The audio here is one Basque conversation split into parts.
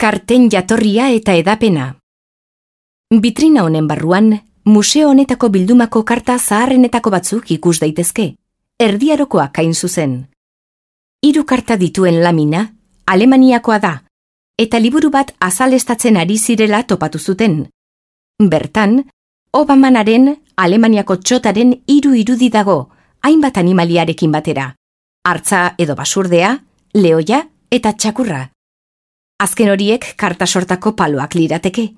Karten jatorria eta edapena. Bitrina honen barruan, museo honetako bildumako karta zaharrenetako batzuk ikus daitezke, erdiarokoak hain zuzen. 3 karta dituen lamina, Alemaniakoa da, eta liburu bat azalestatzen ari zirela topatu zuten. Bertan, Obamanaren Alemaniako txotaren 3 irudi dago, hainbat animaliarekin batera, hartza edo basurdea, lehoia eta txakurra. Azken horiek karta sortako paloak lirateke.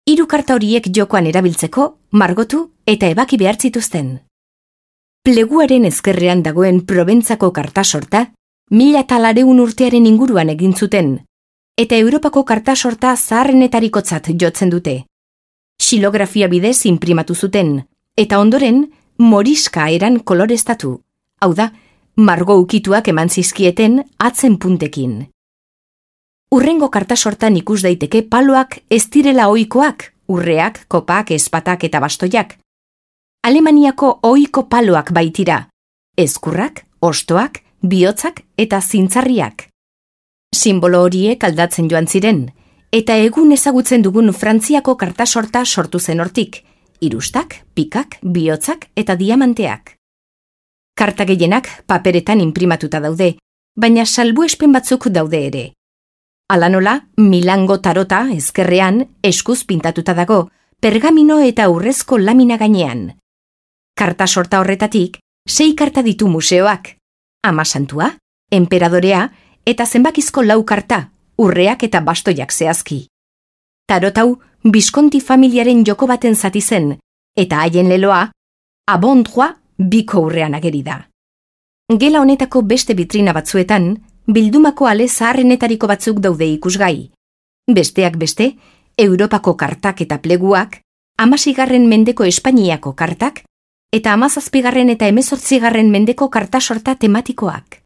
3 karta horiek jokoan erabiltzeko, margotu eta ebaki behar zituzten. Pleguaren ezkerrean dagoen Proventzako karta sorta, 1400 urtearen inguruan egin zuten, eta Europako karta sorta zaharrenetarikotzat jotzen dute. Xilografia bidez inprimatu zuten, eta ondoren moriska eran koloreztatu, hau da, margo ukituak eman zizkieten atzen puntekin. Urrengo karta sortan ikus daiteke paloak ez direla ohikoak, urreak, kopak, ezpatak eta bastoiak. Alemaniako ohiko paloak baitira, ezkurrak, ostoak, bihotzak eta zintzarriak. Sinbolo horiek aldatzen joan ziren, eta egun ezagutzen dugun Frantziako karta sorta sortu zen hortik, irustak, pikak, bihotzak eta diamanteak. Karta gehienak paperetan inprimatuta daude, baina salbuespen batzuk daude ere. Hala nola, Milango tarota ezkerrean eskuz pintatuta dago, pergamino eta urrezko lamina gainean. Karta sorta horretatik, 6 karta ditu museoak, Ama Santua, Enperadorea eta zenbakizko 4 karta, urreak eta bastoiak zehazki. Tarotau Visconti familiaren joko baten zati zen, eta haien leloa, abondroa biko urrean ageri da. Gela honetako beste bitrina batzuetan, bildumako ale zaharrenetariko batzuk daude ikusgai. Besteak beste, Europako kartak eta pleguak, 16. mendeko Espainiako kartak, eta 17. eta 18. mendeko karta sorta tematikoak.